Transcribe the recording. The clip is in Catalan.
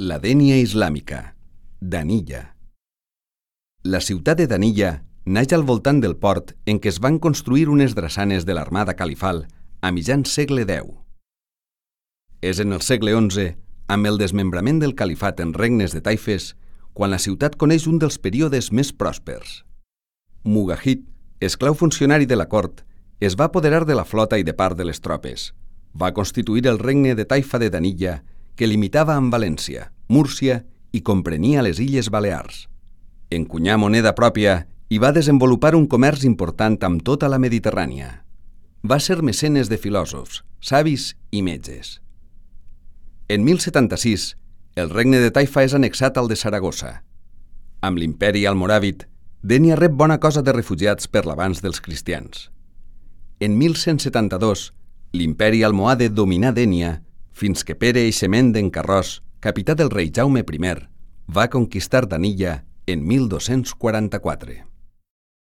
La Dénia islàmica, Danilla. La ciutat de Danilla naix al voltant del port en què es van construir unes drassanes de l'armada califal a mitjan segle X. És en el segle XI, amb el desmembrament del califat en regnes de taifes, quan la ciutat coneix un dels períodes més pròspers. Mugahid, esclau funcionari de la cort, es va apoderar de la flota i de part de les tropes. Va constituir el regne de Taifa de Danilla, que limitava amb València, Múrcia i comprenia les Illes Balears. Encunyà moneda pròpia i va desenvolupar un comerç important amb tota la Mediterrània. Va ser mecenes de filòsofs, savis i metges. En 1076, el regne de Taifa és annexat al de Saragossa. Amb l'imperi almoràvit, Dénia rep bona cosa de refugiats per l'avanç dels cristians. En 1172, l'imperi almohade dominà Dénia fins que Pere Eixement d'en Carròs, capità del rei Jaume I, va conquistar Danilla en 1244.